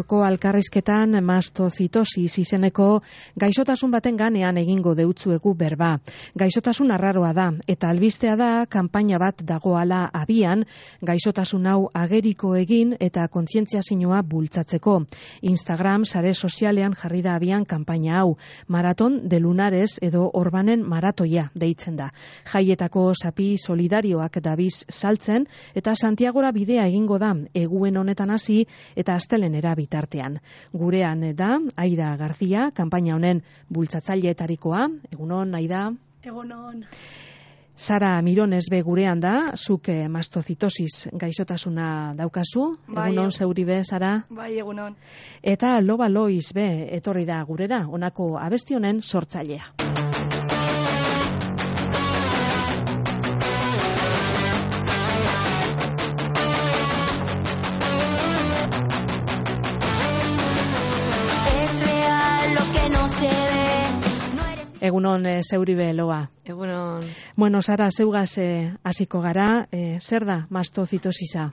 gaurko alkarrizketan mastozitosis izeneko gaixotasun baten ganean egingo deutzuegu berba. Gaixotasun arraroa da, eta albistea da kanpaina bat dagoala abian, gaixotasun hau ageriko egin eta kontzientziazioa bultzatzeko. Instagram sare sozialean jarri da abian kanpaina hau, Maraton de Lunares edo Orbanen maratoia deitzen da. Jaietako sapi solidarioak dabiz saltzen eta Santiagora bidea egingo da, eguen honetan hasi eta astelenera bitartean. Gurean da Aida Garzia, kanpaina honen bultzatzaileetarikoa. Egunon, Aida. Egunon. Sara Mirones be gurean da, zuk mastozitosis gaixotasuna daukazu. Bai, egunon zeuri be, Sara. Bai, egunon. Eta Loba Loiz be etorri da gurera, honako abesti honen sortzailea. Egunon, zeuribe loa. Egunon. Bueno, Sara, zeugaz hasiko gara, zer da mastozitosisa?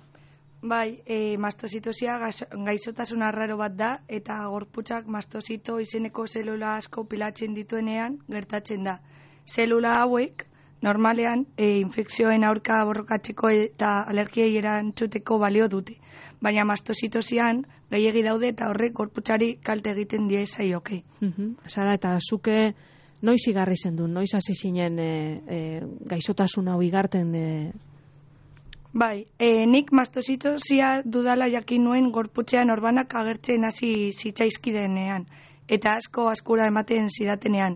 Bai, mastozitosia gaixotasun arraro bat da, eta gorputzak mastozito izeneko zelula asko pilatzen dituenean gertatzen da. Zelula hauek, normalean, infekzioen aurka borrokatzeko eta alergiei erantzuteko balio dute. Baina mastozitosian gehiegi daude eta horrek gorputzari kalte egiten die zaioke. Sara, eta zuke noiz igarri zendun, noiz hasi zinen gaixotasun hau igarten? Bai, nik mastozitosia dudala jakin nuen gorputzean orbanak agertzen hasi zitzaizkidenean, eta askura ematen zidatenean.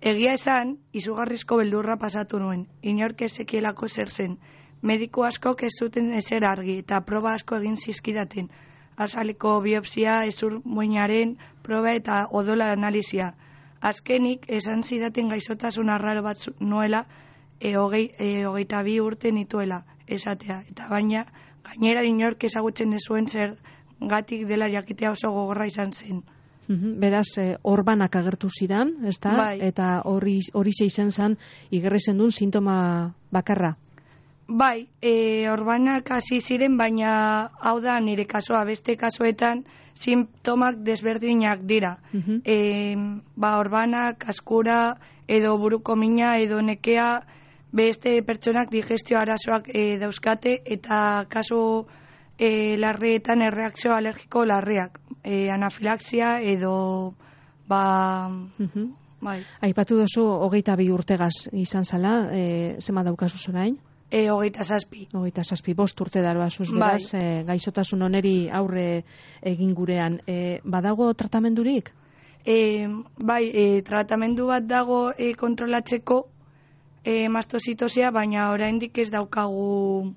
Egia esan, izugarrizko beldurra pasatu nuen, inork ez zekielako zer zen. Mediku askok ez zuten ezer argi, eta proba asko egin zizkidaten. Azaleko biopsia, hezur muinaren proba eta odola analizia. Azkenik, esan zidaten gaixotasun arraro bat nuela, 22 urte nituela, esatea. Eta baina, gainera inork ezagutzen ez zuen zer gatik dela jakitea oso gogorra izan zen. Beraz, orbanak agertu zidan, ezta? Bai. Eta hori izen zen, igerri zendun sintoma bakarra. Bai, orbanak hasi ziren, baina hau da nire kasua, beste kasuetan sintomak desberdinak dira. Orbanak, askura, edo buruko mina, edo nekea, beste pertsonak digestio arazoak dauzkate, eta kasu larrietan erreakzio alergiko larriak, anafilaxia edo bai. Aipatu duzu 22 urtegaz izan zala, zema daukazu zorain? 27. 27, 5 urte daroazuz, beraz, gaixotasun oneri aurre egin gurean. Badago tratamendurik? Bai, tratamendu bat dago kontrolatzeko mastozitosia, baina oraindik ez daukagu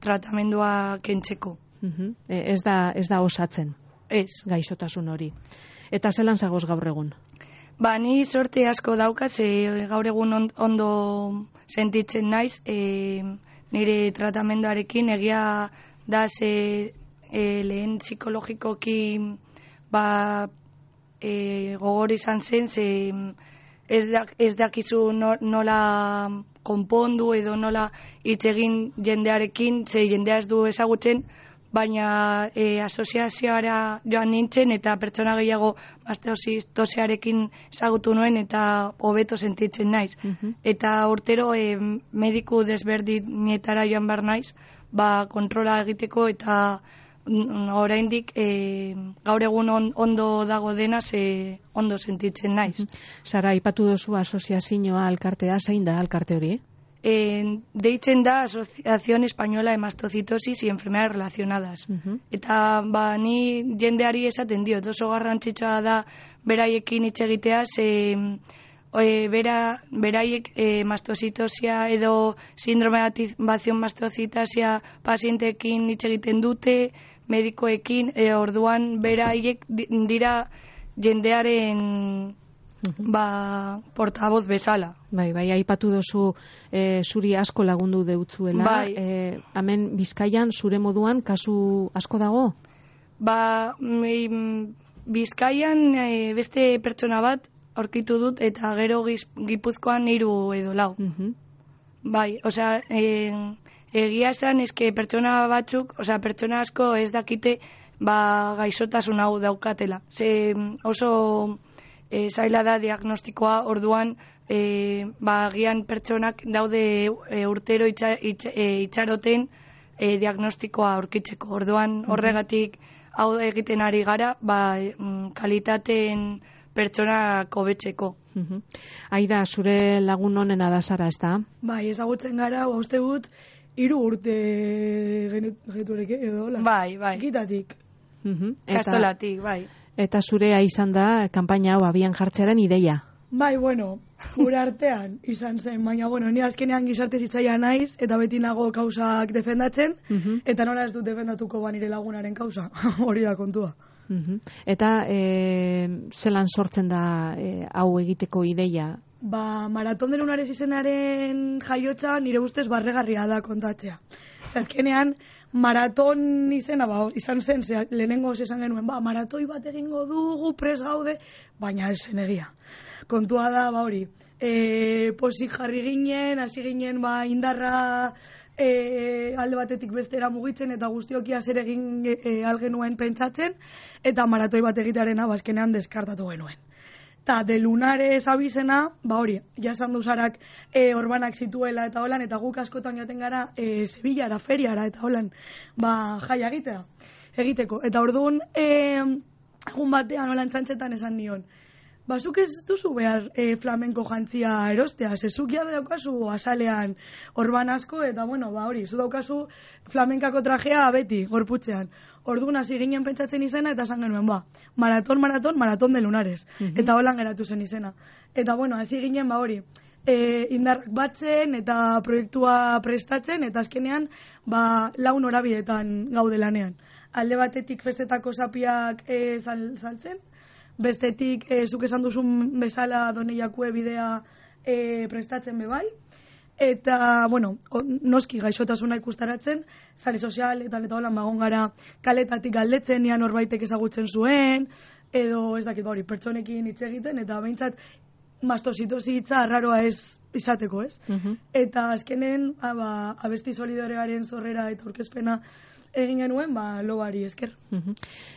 tratamendua kentzeko. Ez da osatzen? Ez. Gaixotasun hori. Eta zelan zagoz gaur egun? Ni sorte asko daukaz, gaur egun ondo sentitzen naiz, nire tratamenduarekin egia da lehen psikologikoki gogor izan zen, ez dakizu nola konpondu edo nola hitz egin jendearekin, jendea ez du ezagutzen, baina asoziazioara joan nintzen eta pertsona gehiago mastozitosearekin ezagutu nuen eta hobeto sentitzen naiz. Eta urtero mediku desberdinetara joan behar naiz, kontrola egiteko eta oraindik gaur egun ondo dago denaz ondo sentitzen naiz. Sara, aipatu duzu asoziazioa alkartea, zein da alkarte hori? Deitzen da Asociación Española de Mastocitosis y Enfermedades Relacionadas. Eta ni jendeari esaten diot, oso garrantzitsua da beraiekin hitz egitea, beraiek mastozitosia edo síndrome de activación mastocitasia pazienteekin hitz egiten dute, medikoekin, orduan beraiek dira jendearen portavoz bezala. Bai, aipatu dozu zuri asko lagundu deutzuela. Bai. Hemen Bizkaian zure moduan kasu asko dago? Bizkaian beste pertsona bat aurkitu dut eta gero Gipuzkoan 3 edo 4. Bai, egia esan, pertsona batzuk, pertsona asko ez dakite gaixotasun hau daukatela. Ze oso zaila da diagnostikoa, orduan agian pertsonak daude urtero itxaroten diagnostikoa aurkitzeko. Orduan horregatik hau egiten ari gara, kalitateen pertsonak hobetzeko. Aida, zure lagun honena da zara, ez da? Bai, ezagutzen gara, uste dut, 3 urte geneturek edo, hola? Bai. Gitatik. Kastolatik, bai. Eta zurea izan da, kanpaina hau abian jartzearen ideia? Bai, gure artean izan zen, baina, ni azkenean gizarte zitzaia naiz, eta beti nago kausak defendatzen, eta nola ez dut defendatuko nire lagunaren kausa, hori da kontua. Eta zelan sortzen da hau egiteko ideia? Maraton de Lunares izenaren jaiotza nire ustez barregarria da kontatzea. Azkenean, maraton izena izan zen, lehenengo esan genuen, maratoi bat egingo dugu, pres gaude, baina ez zen egia. Kontua da, hori, posik jarri ginen, hasi ginen indarra alde batetik bestera mugitzen eta guztiokia zer egin algenuen pentsatzen, eta maratoi bat egitearena azkenean deskartatu genuen. Eta de Lunares abizena, hori, jasan duzarak orbanak zituela eta holan, eta guk askotan joaten gara Sevillara, feriara eta holan, jaia egiteko. Eta orduan, egun batean holan txantxetan esan nion, zuk ez duzu behar flamenko jantzia erostea, zezuk ja daukazu azalean orban asko, eta hori, zu daukazu flamenkako trajea beti, gorputzean. Orduan hasi ginen pentsatzen izena, eta esan genuen, maraton de Lunares. Eta holan geratu zen izena. Eta hasi ginen, hori, indarrak batzen, eta proiektua prestatzen, eta azkenean, 4 norabidetan gaude lanean. Alde batetik festetako zapiak saltzen, bestetik, zuk esan duzun bezala Doneiakue bidea prestatzen bebai, eta, noski gaixotasuna ikustaratzen, sare sozial eta holan bagon gara kaletatik galdetzen, nian horbaitek ezagutzen zuen, edo ez dakit, pertsonekin hitz egiten, eta behintzat mastozitosi hitza arraroa ez izateko, ez? Eta azkenen, abesti solidarearen zorrera eta aurkezpena egin genuen, lobari esker.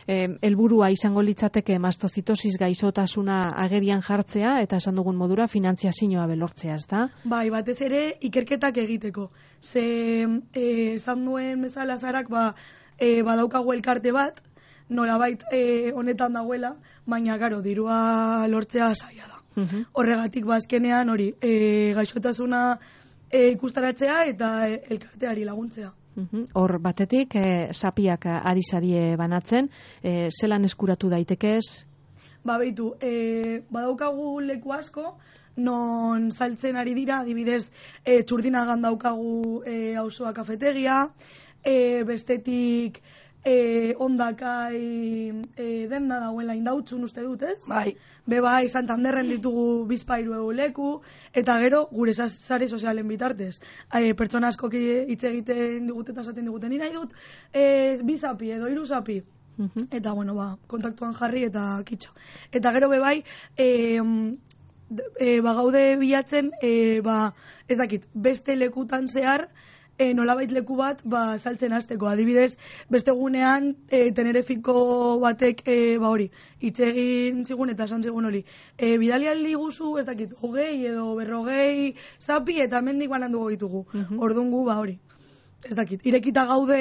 Helburua izango litzateke mastozitosis gaixotasuna agerian jartzea, eta esan dugun modura finantziazioa belortzea, ez da? Bai, batez ere ikerketak egiteko. Ze esan duen bezala zarak, badaukagu elkarte bat, nolabait honetan dagoela, baina garo, dirua lortzea zaila da. Horregatik azkenean hori, gaixotasuna ikustaratzea eta elkarteari laguntzea. Hor batetik, sapiak ari sarie banatzen, zelan eskuratu daitekez? Beitu, badaukagu leku asko, non saltzen ari dira, adibidez, Txurdinagan daukagu auzoa kafetegia, bestetik Ondakai denda dagoela Indautzun uste dut, ez? Bai. Bai, Santanderren ditugu 2 leku, eta gero gure sare sozialen bitartez. Pertsona askok hitz egiten digute eta esaten diguten, ni nahi dut 2 zapi edo 3 zapi. Eta kontaktuan jarri eta kitxo. Eta gero bai, gaude bilatzen, ez dakit, beste lekutan zehar, nolabait leku bat saltzen hasteko. Adibidez, beste gunean Tenerifiko batek hori, hitz egin zigun eta esan zigun hori. Bidali aldi guzu, ez dakit, 20 edo 40 zapi eta hemendik bananduko ditugu. Orduan gu hori. Ez dakit, irekita gaude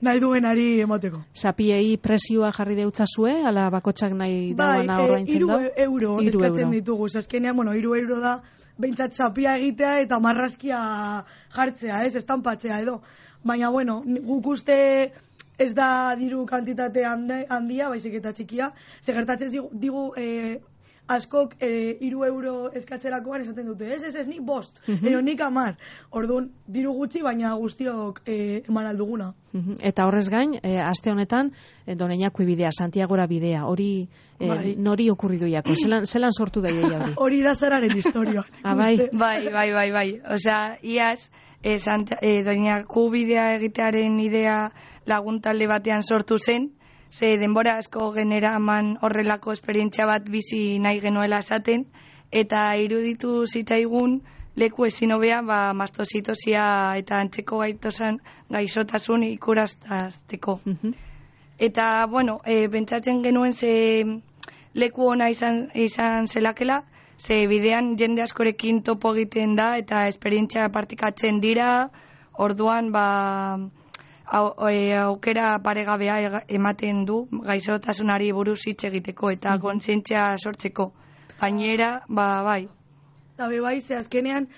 nahi duenari emateko. Zapiei presioa jarri deutzazue, ala bakotxak nahi dauana ordaintzen da? 3 euro eskatzen ditugu. Azkenean, 3 euro da, behintzat zapia egitea eta marrazkia jartzea, ez, estanpatzea edo. Baina, guk uste ez da diru kantitate handia, baizik eta txikia. Gertatzen digu askok 3 euro eskatzerakoan esaten dute, ez, nik 5, edo nik 10. Orduan, diru gutxi, baina guztiok eman alduguna. Eta horrez gain, aste honetan, Doneiakue bidea, Santiagora bidea, hori nori okurridu jako? Zelan sortu da ideia hori? Hori da zararen historia. Bai. Osea, iaz, Doneiakue bidea egitearen idea laguntalde batean sortu zen, ze denbora asko genera eman horrelako esperientzia bat bizi nahi genuela esaten, eta iruditu zitzaigun leku ezin hobea mastozitosia eta antzeko gaixotasun ikuraztazteko. Eta, bueno, pentsatzen genuen ze leku ona izan zelakela, ze bidean jende askorekin topo egiten da eta esperientzia partikatzen dira, orduan aukera paregabea ematen du gaixotasunari buruz hitz egiteko eta kontzientzia sortzeko. Gainera, bai. Eta bai, ze azkenean,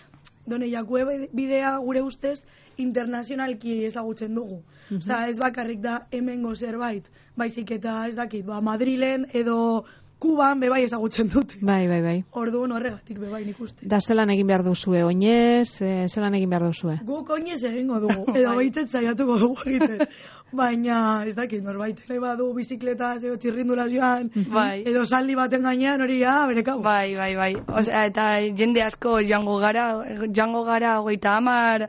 Done Jakue bidea gure ustez internazionalki ezagutzen dugu. Osea, ez bakarrik da hemengo zerbait, baizik eta ez dakit, Madrilen edo Kuban bebai ezagutzen dute. Bai. Orduan horregatik bebai nik uste. Da zelan egin behar duzue, oinez, zelan egin behar duzue? Guk oinez egingo dugu, edo behitzet saiatuko dugu egiten. Baina, ez dakit, norbait nahi badu bizikletaz edo txirrindulaz joan, edo saldi baten gainean hori bere kau. Bai. Osea, eta jende asko joango gara 30.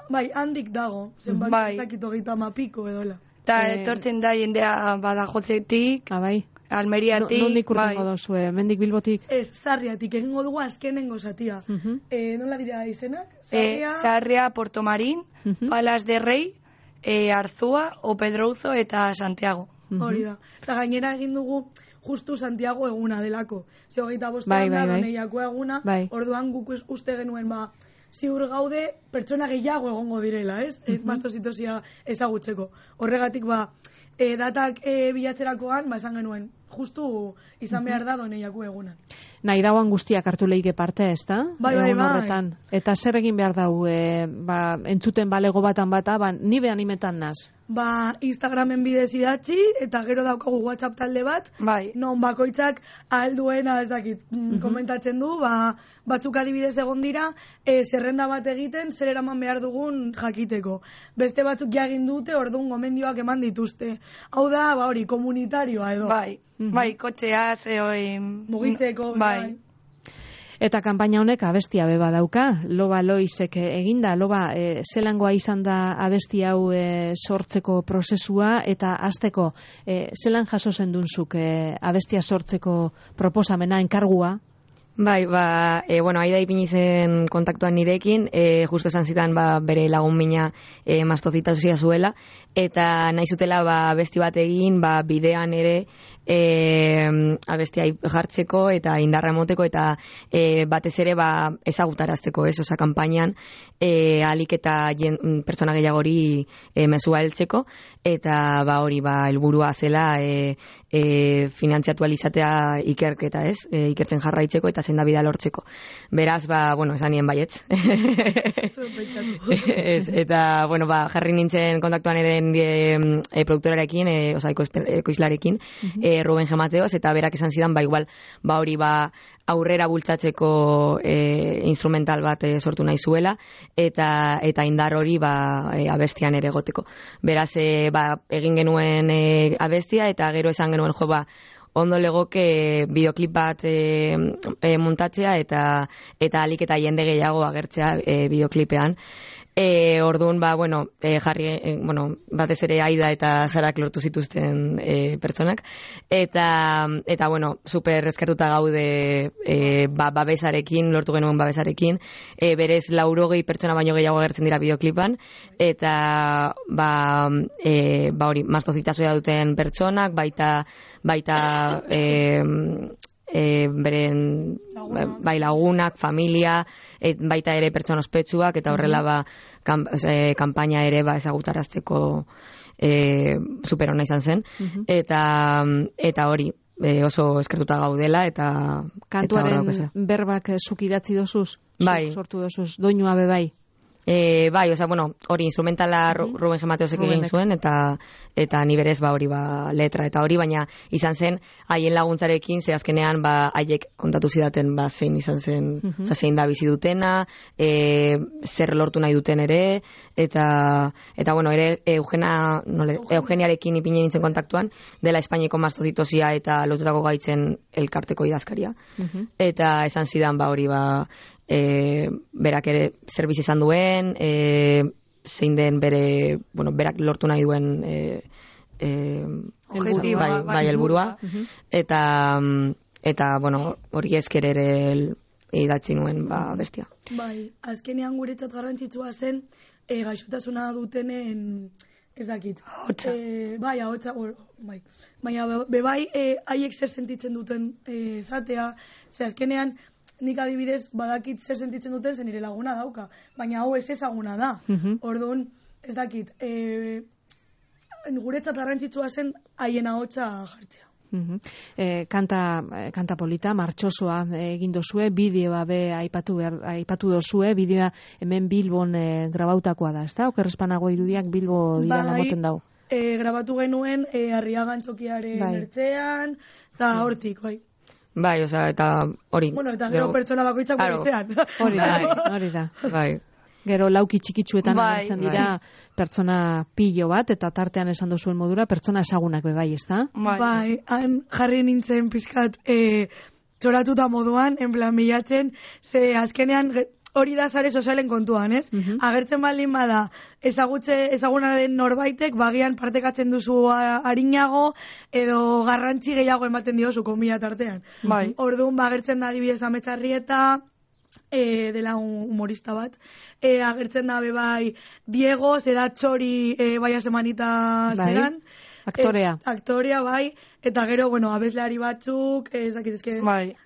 Bai, handik dago, zenbat ez dakit 30 piko edola. Eta etortzen da jendea Badajozetik, bai. Almeriatik, nondik urrengo dozue, mendik Bilbotik? Ez, Sarriatik, egingo dugu azkenengo zatia. Nola dira izenak? Sarria, Porto Marín, Palas de Rei, Arzua, Opedrouzo eta Santiago. Hori da. Eta gainera egin dugu justu Santiago eguna delako. Ze 25 da, Doneiako eguna, orduan guk uste genuen ziur gaude pertsona gehiago egongo direla, ez? Mastozitosia ezagutzeko. Horregatik datak bilatzerakoan, esan genuen, justu izan behar da Doneiako eguna. Nahi dauan guztiak hartu lehike parte, ez da? Bai. Eta zer egin behar dau, entzuten balego batan ni behan imetan naz? Instagramen bidez idatzi, eta gero daukagu WhatsApp talde bat, non bakoitzak alduena ez dakit, komentatzen du, batzuk adibidez egon dira, zerrenda bat egiten, zer eraman behar dugun jakiteko. Beste batzuk jagin dute, orduan gomendioak eman dituzte. Hau da, hori, komunitarioa edo. Bai, kotxeaz, mugitzeko, bai. Eta kanpaina honek abestia beba dauka, Loba Loizek eginda, Loba, zelangoa izan da abesti hau sortzeko prozesua, eta hasteko zelan jaso zendunzuk abestia sortzeko proposamena, enkargua? Bai, Aida ipini zen kontaktuan nirekin, justo esan zitan bere lagun mina mastozitasia zuela, eta nahi zutela abesti bat egin, bidean ere abestia jartzeko eta indarra emoteko eta batez ere ezagutarazteko, ez? Osa, kanpainan alik eta pertsona gehiagori mesua heltzeko, eta hori helburua zela finantziatu alizatea ikerketa, ez? Ikertzen jarraitzeko eta sendabidea lortzeko. Beraz, esan nien baietz. Eta, jarri nintzen kontaktuan eren produktorarekin, ekoizlarekin, Ruben G. Mateos, eta berak esan zidan, igual, hori aurrera bultzatzeko instrumental bat sortu nahi zuela, eta indar hori abestian ere egoteko. Beraz, egin genuen abestia, eta gero esan genuen ondo legoke bideoklip bat muntatzea eta alik eta jende gehiago agertzea bideoklipean. Orduan, jarri, batez ere Aida eta Zarak lortu zituzten pertsonak. Eta super eskertuta gaude babesarekin, lortu genuen babesarekin. Berez 80 pertsona baino gehiago agertzen dira bideoklipan. Eta, hori, mastozitasoia duten pertsonak, baita beren lagunak, familia, baita ere pertsona ospetsuak, eta horrela kanpaina ere ezagutarazteko super ona izan zen. Eta hori, oso eskertuta gaudela, eta kantuaren berbak zuk idatzi dozuz, sortu dozuz, doinua bebai. Hori instrumentala Ruben G. Mateosek egin zuen, eta ni berez hori letra eta hori, baina izan zen haien laguntzarekin, ze azkenean haiek kontatu zidaten zein izan zen, zein da bizi dutena, zer lortu nahi duten ere, eta ere Eugeniarekin ipine nintzen kontaktuan, dela Espainiako mastozitosia eta lotutako gaitzen elkarteko idazkaria. Eta esan zidan hori berak ere zerbitz izan duen, zein den bere, berak lortu nahi duen helburua, eta hori esker ere idatzi nuen bestia. Azkenean guretzat garrantzitsua zen gaixotasuna dutenen ez dakit. Ahotsa. Bai, ahotsa, bai. Baina bai, haiek zer sentitzen duten esatea, azkenean, nik adibidez badakit zer sentitzen duten zen nire laguna dauka, baina hau ez ezaguna da. Orduan, ez dakit, guretzat garrantzitsua zen haien ahotsa jartzea. Kanta polita, martxosoa egin dozue, bideoa be aipatu dozue, bideoa hemen Bilbon grabautakoa da, ezta? Okerrespanago irudiak Bilbo dira namoten dau. Grabatu genuen Arriaga Antzokiaren ertzean, eta hortik, bai. Bai, eta hori. Bueno, eta gero pertsona bakoitzak ertzean. Hori da. Bai. Gero lauki txikitsuetan agertzen dira pertsona pilo bat, eta tartean esan duzuen modura, pertsona ezagunak bai, ezta? Bai, han jarri nintzen pizkat txoratuta moduan, en plan bilatzen, ze azkenean hori da sare sozialen kontuan, ez? Agertzen baldin bada, ezaguna den norbaitek, bagian partekatzen duzu arinago, edo garrantzi gehiago ematen diozu konbila tartean. Orduan, agertzen da adibidez Ametxarrieta, dela humorista bat, agertzen da bai Diego, zeda txori bai semanita zeran, aktorea bai, eta gero, bueno, abeslari batzuk, ez dakit, ezke,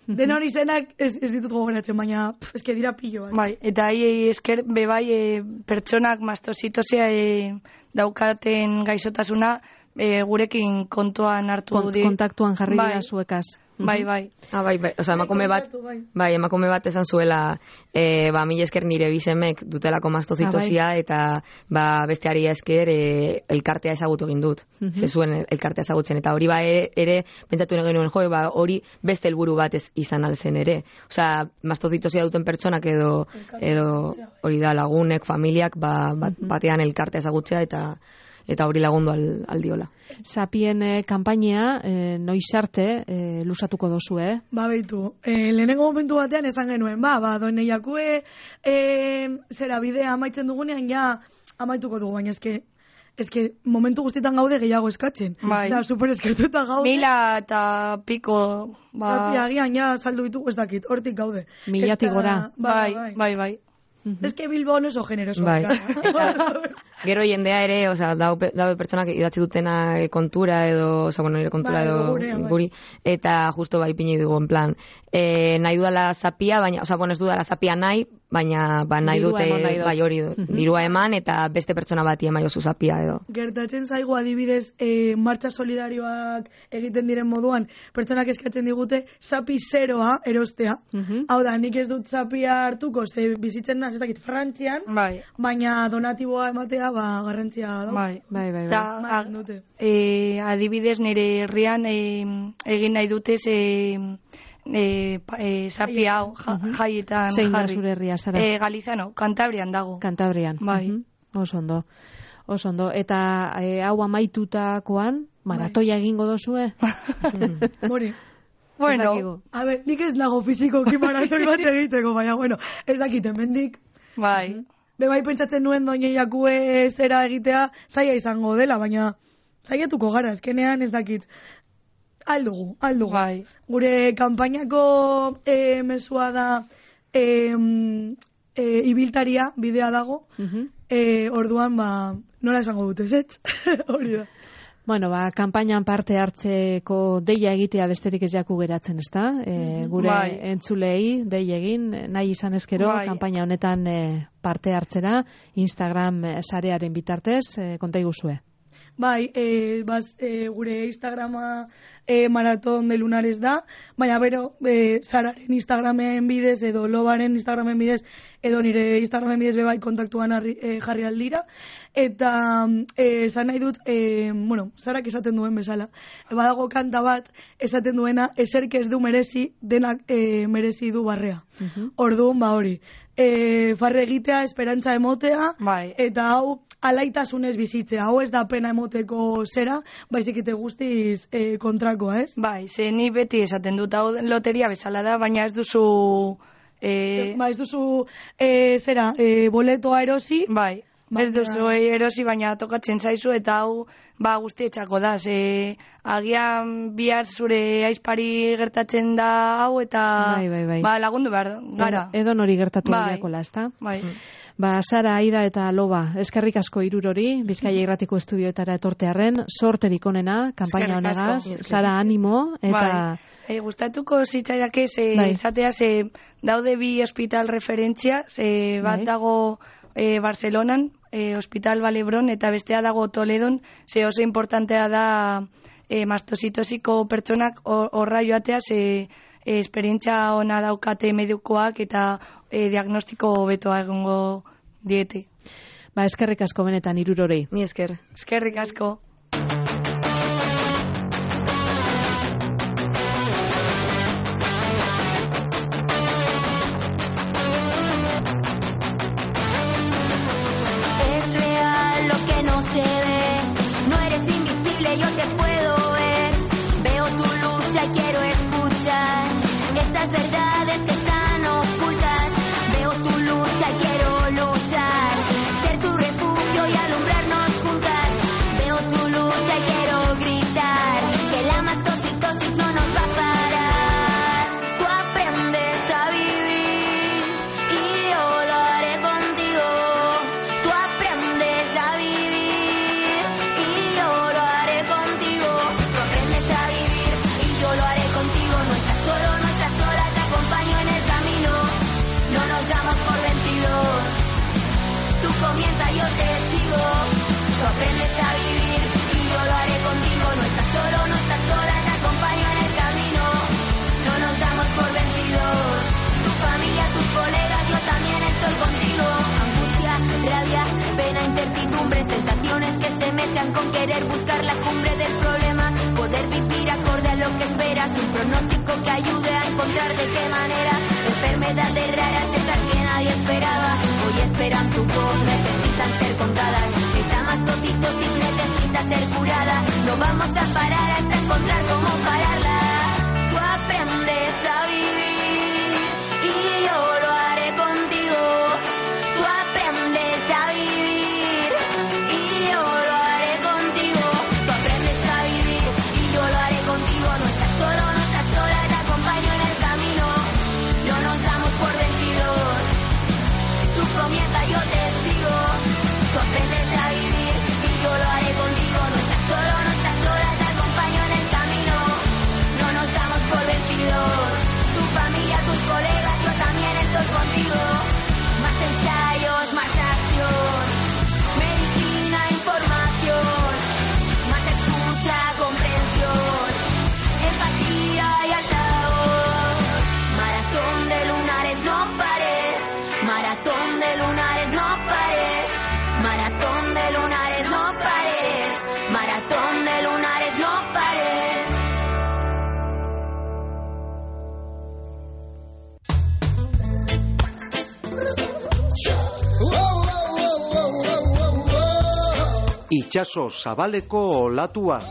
den hori zenak ez ditut gogoratzen, baina ezke dira pillo bat. Bai, eta esker bai pertsonak mastozitosia daukaten gaixotasuna gurekin kontuan hartu du. Kontaktuan jarri dira zuekaz. Bai. Bai, oza, emakume bat esan zuela, mila esker nire bisemek dutelako mastozitosia, eta besteari esker elkartea ezagutu egin dut. Ze zuen elkartea ezagutzen, eta hori ere, pentsatu genuen hori beste helburu bat izan alzen ere. Oza, mastozitosia duten pertsonak edo hori da lagunek, familiak, batean elkartea ezagutzea, eta hori lagundu aldiola. Sapien kanpainea noiz arte lusatuko dozu, Beitu, lehenengo momentu batean esan genuen, doine jakue zera bidea amaitzen dugunean ja amaituko dugu, baina eske momentu guztietan gaude gehiago eskatzen. Da, super eskertuta gaude. 1000 eta piko. Sapia agian ja saldu ditugu ez dakit, hortik gaude. 1000 gora. Bai. Ez que Bilbo oso generoso. Gero jendea ere, dabe pertsonak idatzi dutena kontura edo, nire kontura edo guri, eta justo ipini dugu, en plan, nahi dudala zapia, baina, ez dudala zapia nahi, baina nahi dute, bai hori, dirua eman, eta beste pertsona bati eman jozu zapia edo. Gertatzen zaigu adibidez, martxa solidarioak egiten diren moduan, pertsonak eskatzen digute, zapi zeroa erostea. Hau da, nik ez dut zapia hartuko, ze bizitzen naz, ez dakit, Frantzian, baina donatiboa ematea, garrantzia da. Bai. Adibidez nire herrian egin nahi dute zapi hau jaietan jarri. Zein da zure herria, Sara? Galizano, Kantabrian dago. Kantabrian. Bai. Oso ondo. Eta hau amaitutakoan, maratoia egingo dozue? Mori. Bueno, a ver, nik ez nago fizikoki maratoi bat egiteko, baina, ez dakit, hemendik. Bai. Bai pentsatzen nuen doine jakue zera egitea zaila izango dela, baina zaiatuko gara, ezkenean ez dakit. Aldugu. Bai. Gure kanpainako mesua da ibiltaria bidea dago, orduan nola esango dute, ez? Hori da. Bueno, kanpainan parte hartzeko deia egitea besterik ez jaku geratzen, ezta? Gure entzulei dei egin, nahi izan ezkero, kanpaina honetan parte hartzera, Instagram sarearen bitartez, konta iguzue. Bai, gure Instagrama Maraton de Lunares da, baina bero, Sararen Instagramen bidez, edo Lobaren Instagramen bidez, edo nire Instagramen bidez bebai kontaktuan jarri aldira, eta esan nahi dut, Sarak esaten duen bezala, badago kanta bat, esaten duena, eserk ez du merezi, denak merezi du barrea. Orduan, hori. Farre egitea, esperantza emotea, eta hau alaitasunez bizitzea, hau ez da pena emoteko zera, baizik ite guztiz kontrakoa, ez? Bai, ze ni beti esaten dut, hau loteria bezala da, baina ez duzu... ez duzu boletoa erosi, Ez duzu erosi, baina tokatzen zaizu, eta hau guztietxako da. Agian bihar zure aizpari gertatzen da hau, eta lagundu behar gara. Edo nori gertatu aiakola, ezta? Bai. Sara, Aida eta Loba, eskerrik asko Irurori, Bizkaia Irratiko estudioetara etortearren, sorterik onena, kanpaina honegaz, Sara, animo, eta... Gustatuko zitzaidake, izatea, daude bi hospital referentzia, bat dago Barcelonan, Hospital Valebron, eta bestea dago Toledon, oso importantea da mastozitosiko pertsonak horra joatea, esperientzia ona daukate medikoak eta diagnostiko betoa egongo diete. Eskerrik asko benetan Irurori. Ni esker. Eskerrik asko. Es real lo que no se ve, no eres invisible, yo te puedo ver. Veo tu luz y quiero escuchar estas verdades que están ocultas. Veo tu luz y quiero luchar, ser tu refugio y alumbrarnos juntas. Veo tu luz y quiero gritar que la mastocitosis no nos va a parar. Tú aprendes a vivir y yo lo haré contigo. Tú aprendes a vivir y yo lo haré contigo. Tú aprendes a vivir y yo lo haré contigo. No estás solo, no estás sola, te acompaño en el camino. No nos damos por vencidos. Tú comienza, yo te sigo. Tú aprendes a vivir y yo lo haré contigo. No estás solo, no estás sola, te acompaño en el camino. No nos damos por vencidos. Tu familia, tus colegas, yo también estoy contigo. Angustia, rabia, pena, incertidumbre, sensaciones que se mezclan con querer buscar la cumbre del problema. Poder vivir acorde a lo que esperas, un pronóstico que ayude a encontrar de qué manera. Enfermedades raras, esas que nadie esperaba, hoy esperan tu voz, necesitan ser contadas. Esa mastocitosis necesita ser curada. No vamos a parar hasta encontrar cómo pararla. Tú aprendes a vivir y yo lo haré contigo. Tú aprendes a vivir y yo lo haré contigo. Tú aprendes a vivir y yo lo haré contigo. No estás solo, no estás sola, te acompaño en el camino. No nos damos por vencidos. Tú comienza, yo te sigo. Tú aprendes a vivir y yo lo haré contigo. No estás solo, no estás sola, te acompaño en el camino. No nos damos por vencidos. Tu familia, tus colegas, yo también estoy contigo. Más ensayos, más acción. Medicina, información. Más escucha, comprensión. Empatía y altavoz. Maratón de lunares, no pares. Maratón de lunares, no pares. Maratón de lunares, no pares. Maratón de lunares, no pares. Itxaso zabaleko olatua.